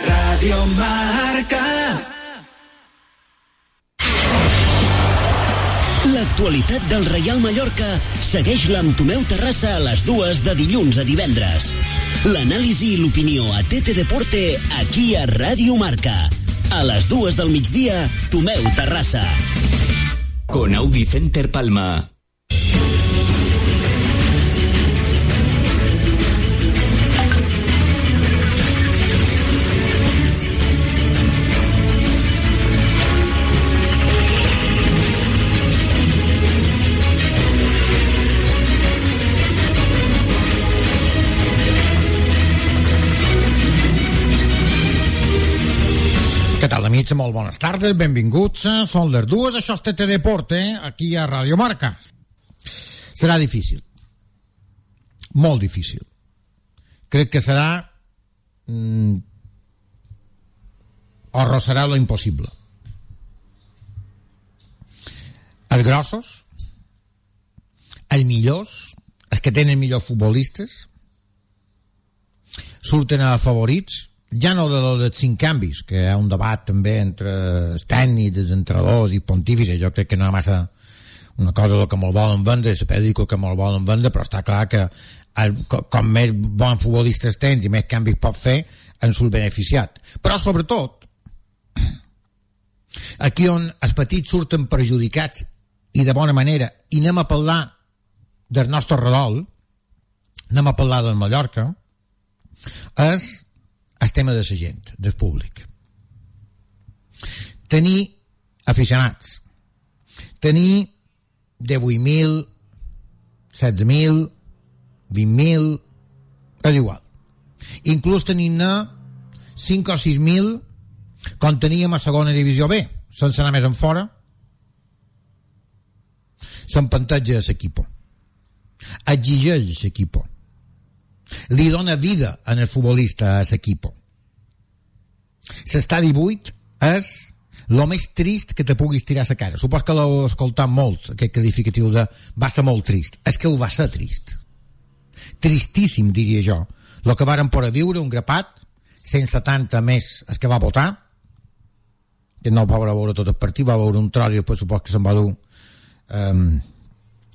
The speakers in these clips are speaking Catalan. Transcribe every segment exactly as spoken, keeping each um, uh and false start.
Radio Marca. L'actualitat del Reial Mallorca segueix-la amb Tomeu Terrassa a les dues de dilluns a divendres. L'anàlisi i l'opinió a T T Deporte aquí a Radio Marca. A les dues del migdia, Tomeu Terrassa. Con Audi Center Palma. Què tal, amics? Molt bones tardes, benvinguts. Són les dues, això és T T Deporte, aquí a Radio Marca. Serà difícil. Molt difícil. Crec que serà... Mm, o rossarà lo impossible. Els grossos, els millors, els que tenen millors futbolistes, surten a favorits, ja no de lo dels cinc canvis, que hi ha un debat també entre els tècnics, els entrenadors i pontífices. Jo crec que no hi ha massa una cosa que me'l volen vendre, se pot dir que me'l volen vendre, però està clar que el, com més bons futbolistes tens i més canvis pots fer, en surt beneficiat. Però sobretot, aquí on els petits surten perjudicats i de bona manera, i anem a parlar del nostre redol, anem a parlar del Mallorca, és el tema de la gent, del públic. Tenir aficionats, tenir divuit mil, setze mil, vint mil, és igual. Inclús tenim-ne cinc o sis mil com teníem a segona divisió B, sense anar més en fora, s'empanteja a l'equip, exigeix a l'equip, li dona vida en el futbolista a l'equip. S'està divuit és el més trist que te puguis tirar a la cara. Supos que l'heu escoltat molt, aquest qualificatiu de va ser molt trist. És que ho va ser trist. Tristíssim, diria jo. El que varen poder viure, un grapat, cent setanta més el que va votar, que no va veure tot el partit, va veure un tros i després supos que se'n va dur... Um,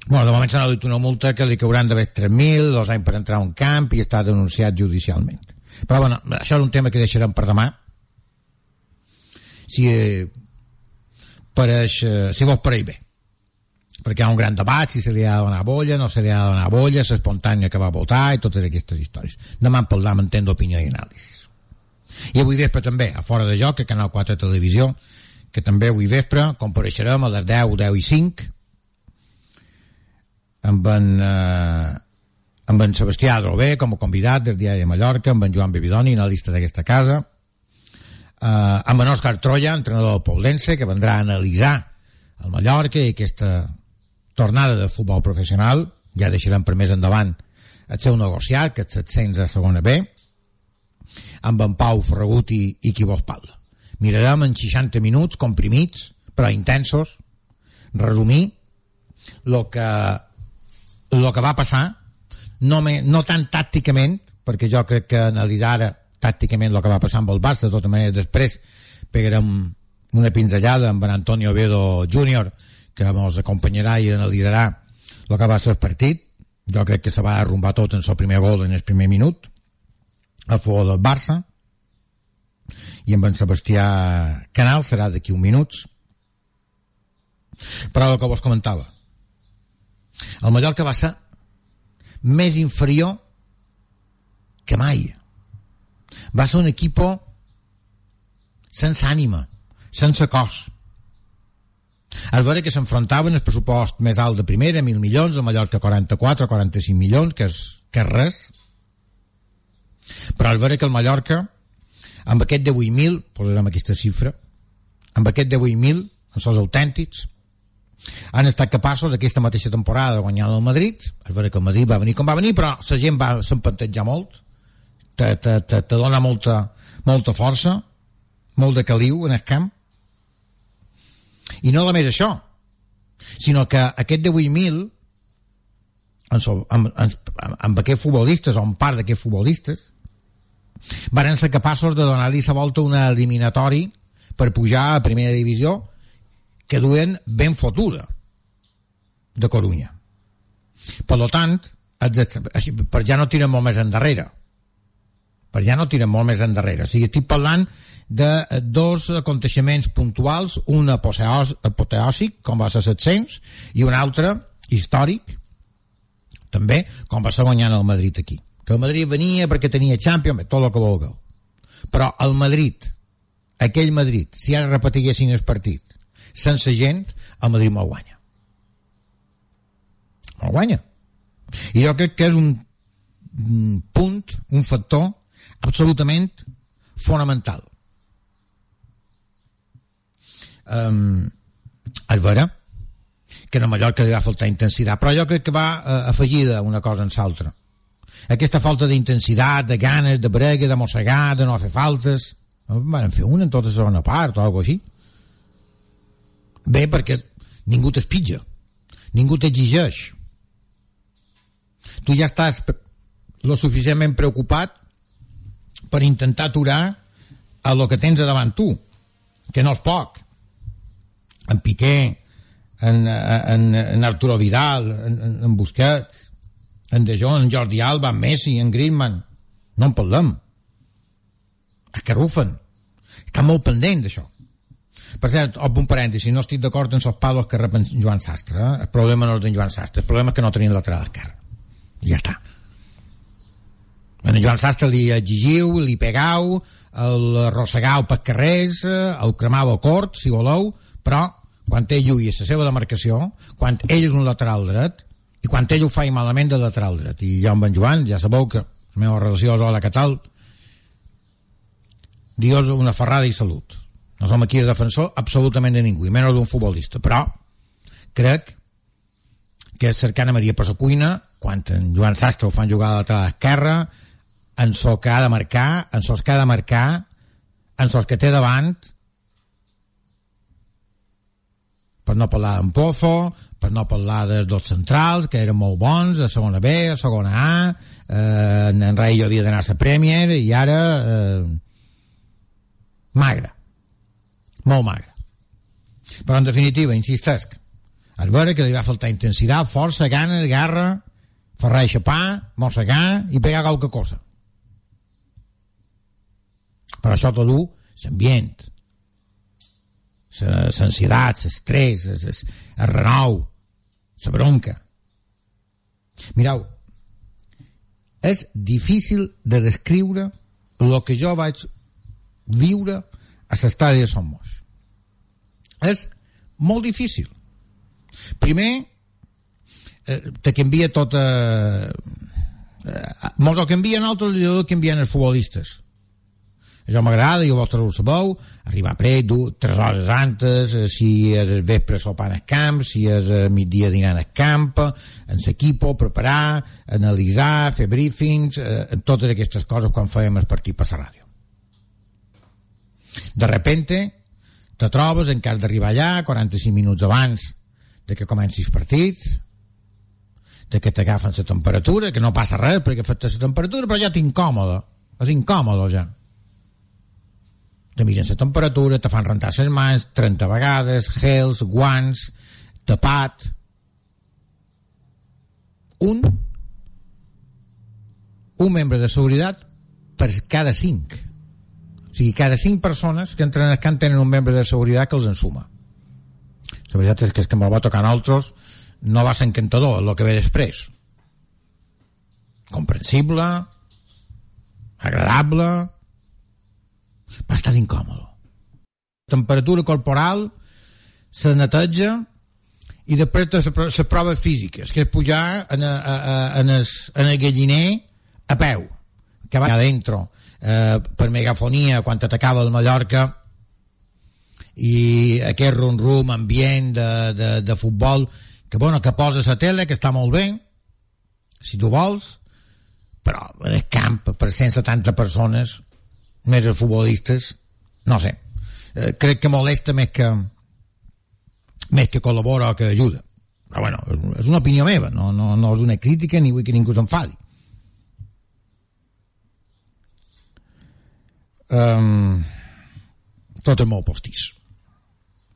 Bueno, de moment s'ha dit una multa que li cauran d'haver tres mil, dos anys per entrar a un camp i està denunciat judicialment. Però bueno, això és un tema que deixarem per demà. Si eh, pareix, eh, si vos pareix bé. Perquè hi ha un gran debat si se li ha de donar bolla, no se li ha de donar bolla, l'espontània que va votar i totes aquestes històries. Demà en parlam en temps d'opinió i anàlisis. I avui vespre també, a Fora de Joc, a Canal quatre Televisió, que també avui vespre compareixerem a les deu, deu i cinc, amb en, eh, amb en Sebastià Adrobé com a convidat del Diari de Mallorca, amb en Joan Bebidoni, analista d'aquesta casa, eh, amb en Òscar Troia, entrenador del Poblense, que vendrà a analitzar el Mallorca i aquesta tornada de futbol professional. Ja deixarem per més endavant el seu negociat, que és set-cents a segona B, amb en Pau Ferragut i, i qui vos parla. Mirarem en seixanta minuts comprimits, però intensos, resumir el que el que va passar, no, me, no tan tàcticament, perquè jo crec que analitzar ara tàcticament el que va passar amb el Barça, de tota manera després pegarem una pinzellada amb en Antonio Oviedo júnior, que ens acompanyarà i analitzarà el que va ser el partit. Jo crec que se va arrumbar tot en el primer gol en el primer minut a favor del Barça, i amb en Sebastià Canal serà d'aquí un minuts. Però el que vos comentava, el Mallorca va ser més inferior que mai. Va ser un equip sense ànima, sense cos. És vera que s'enfrontaven el pressupost més alt de primera, mil milions, el Mallorca quaranta-quatre o quaranta-cinc milions, que és, que és res. Però és vera que el Mallorca, amb aquest divuit mil, posarem aquesta xifra, amb aquest divuit mil, els seus autèntics, han estat capaços aquesta mateixa temporada de guanyar el Madrid. És vera que el Madrid va venir com va venir, però la gent va s'empantejar molt, te, te, te, te dona molta, molta força, molt de caliu en el camp. I no només això, sinó que aquest divuit mil amb, amb, amb, amb aquests futbolistes o amb part d'aquests futbolistes varen ser capaços de donar-li la volta una eliminatori per pujar a primera divisió que duen ben fotuda de Corunya. Per tant, per ja no tiren molt més endarrere. Per ja no tiren molt més endarrere. O sigui, estic parlant de dos aconteixements puntuals, un apoteòsic, com va ser set-cents, i un altre històric, també, com va ser guanyant el Madrid aquí. Que el Madrid venia perquè tenia Champions, tot el que vulgueu. Però el Madrid, aquell Madrid, si ara repetiguessin el partit sense gent, el Madrid me'l guanya. Me'l guanya. I jo crec que és un punt, un factor absolutament fonamental. Um, és vera que a Mallorca li va faltar intensitat, però jo crec que va uh, afegida una cosa en l'altra. Aquesta falta d'intensitat, de ganes, de brega, de mossegar, de no fer faltes, van fer una en tota la segona part o alguna així. Bé, perquè ningú t'espitja, ningú t'exigeix. Tu ja estàs lo suficientment preocupat per intentar aturar a lo que tens a davant tu, que no és poc. En Piqué, en, en, en Arturo Vidal, en, en Busquets, en De Jong, en Jordi Alba, en Messi, en Griezmann. No en parlem. És que rufen. Estan molt pendent d'això. Per cert, un parèntesi, no estic d'acord en els palos que rep en Joan Sastre. Eh? El problema no és d'en Joan Sastre, el problema és que no tenien lateral esquerre. I ja està. En Joan Sastre li exigiu, li pegau, el rossegau per carrers, el cremau a cort, si voleu, però quan ell lluïa la seva demarcació, quan ell és un lateral dret, i quan ell ho fa malament de lateral dret, i jo amb en Joan, ja sabeu que la meva relació és hola, que tal, Dios una ferrada i salut. No som aquí el defensor absolutament de ningú, i menys d'un futbolista, però crec que cercant a Maria per la cuina, quan en Joan Sastre ho fan jugar a la lateral esquerra, en sos que ha de marcar, en sos que ha de marcar, en sos que té davant, per no parlar d'en Pozo, per no parlar dels dos centrals, que eren molt bons, a segona B, a segona A, eh, en Rayo havia d'anar a la Premier, i ara eh, magre, molt magre. Però en definitiva, insistesc, és vera que li va faltar intensitat, força, ganes, garra, ferrar i xapar, mossegar i pegar qualque cosa. Però això tot ho, l'ambient, l'ansietat, l'estrès, el renou, la bronca. Mireu, és difícil de descriure el que jo vaig viure a l'estadi de Somos. És molt difícil. Primer, eh, te canvia tot... Eh, eh, mos ho canvien altres i ho canvien els futbolistes. Això m'agrada, jo vostres ho sabeu, arribar a pret, tres hores antes, si és el vespre sopant al camp, si és el migdia dinant al camp, en l'equip, preparar, analitzar, fer briefings, eh, totes aquestes coses quan fèiem el partit per la ràdio. De repente, te trobes en cas d'arribar allà, quaranta-cinc minuts abans de que comenci el partit, de que t'agafen la temperatura, que no passa res perquè afecta la temperatura, però ja t'incòmode, és incòmode ja. Te miren la temperatura, te fan rentar les mans trenta vegades, gels, guants, tapat. Un un membre de seguretat per cada cinc. O sigui, cada cinc persones que entren al camp tenen un membre de seguretat que els ensuma. La veritat és que és que me'l va tocar a nosaltres no va ser encantador el que ve després. Comprensible, agradable, va estar incòmode. Temperatura corporal se neteja i després les proves físiques, que és pujar en, a, a, en, el, en el galliner a peu, que va adentro eh, per megafonia quan t'atacava el Mallorca, i aquest rum-rum ambient de, de, de futbol que, bueno, que poses a tele, que està molt bé si tu vols, però en el camp per cent setanta persones més els futbolistes, no sé, eh, crec que molesta més que més que col·labora o que ajuda. Però bueno, és, és una opinió meva, no, no, no és una crítica ni vull que ningú s'enfadi. um, tot és molt postís,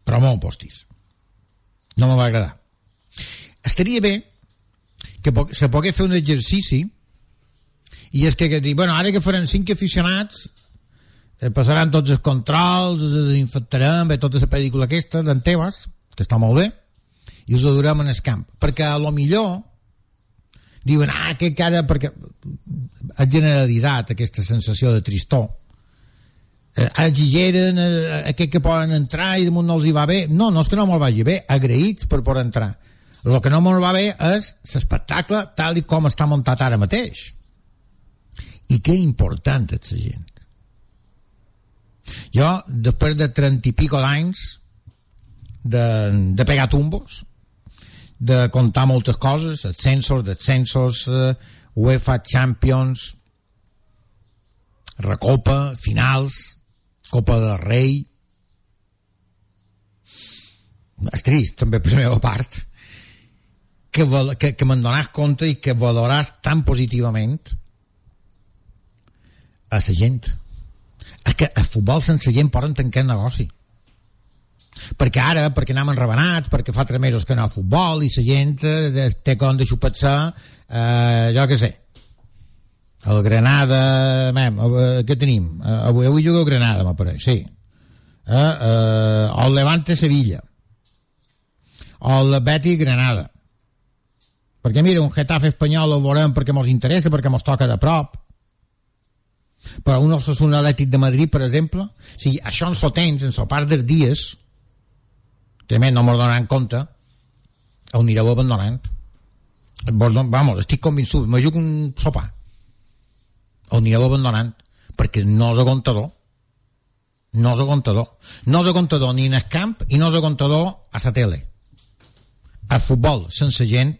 però molt postís. No me va agradar. Estaria bé que po- se pogués fer un exercici, i és que, que dir, bueno, ara que faran cinc aficionats, eh, passaran tots els controls, els desinfectarem, bé, tota la pel·lícula aquesta d'en Tebas, que està molt bé, i us ho durem en el camp. Perquè a lo millor diuen, ah, que cara, perquè ha generalitzat aquesta sensació de tristor. Eh, exigeren eh, aquest que poden entrar i damunt no els hi va bé. No, no és que no me'l vagi bé, agraïts per poder entrar. El que no me'l va bé és l'espectacle tal i com està muntat ara mateix. I que important és la gent. Jo, després de trenta i pico d'anys de, de pegar tumbos, de contar moltes coses, ascensos, descensos, eh, UEFA Champions, Recopa, finals, Copa del Rei. És trist, també per la meva part, que, que, que me'n donàs compte i que valoràs tan positivament a la gent. És que el futbol sense gent poden tancar el negoci. Perquè ara, perquè anem enravenats, perquè fa tres mesos que no a futbol i la gent eh, té com de xupar-se, eh, jo què sé, el Granada, mem, eh, què tenim? Eh, avui, avui jugo el Granada, m'apareix, sí. Eh, eh, el Levante Sevilla, o el Betis Granada. Perquè mira, un Getafe espanyol el veurem perquè mos interessa, perquè mos toca de prop. Però un Osasuna Atlètic de Madrid, per exemple, si això ens ho tens, en el pas dels dies, que més no mos donaran compte, ho anireu abandonant. Vamos, estic convençut, me jugo un sopar. Ho anireu abandonant, perquè no és aguantador. No és aguantador. No és aguantador ni en el camp i no és aguantador a la tele. El futbol sense gent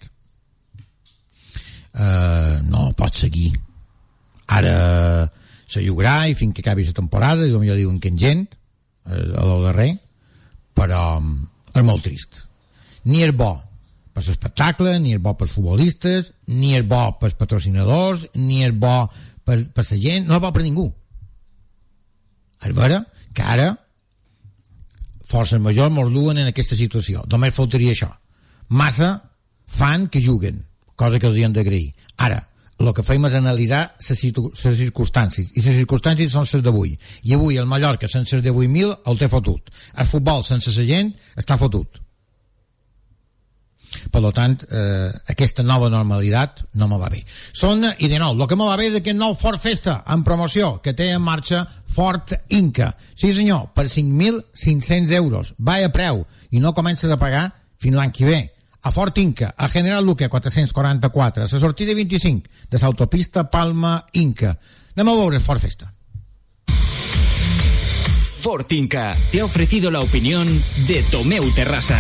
eh, no pot seguir. Ara se jugarà i fins que acabi la temporada i potser diuen que en gent eh, a lo darrer, però és molt trist. Ni és bo per l'espectacle, ni és bo pels futbolistes, ni és bo pels patrocinadors, ni és bo per, per la gent, no és bo per ningú. És vera que ara forces majors mos duen en aquesta situació. Només faltaria això. Massa fan que juguen, cosa que els hi hem d'agrair. Ara, el que fem és analitzar les circumstàncies, i les circumstàncies són les d'avui. I avui el Mallorca sense els divuit mil el té fotut. El futbol sense la gent està fotut. Per tant, eh, aquesta nova normalitat no me va bé. Són, i de nou, el que me va bé és aquest nou Ford Festa en promoció que té en marxa Ford Inca. Sí senyor, per cinc mil cinc-cents euros. Va a preu i no comences a pagar fins l'any que ve. A Ford Inca, a General Luque quatre-cents quaranta-quatre, a la sortida vint-i-cinc de l'autopista Palma Inca. Anem a veure Ford Festa. Ford Inca te ha ofrecido la opinión de Tomeu Terrassa.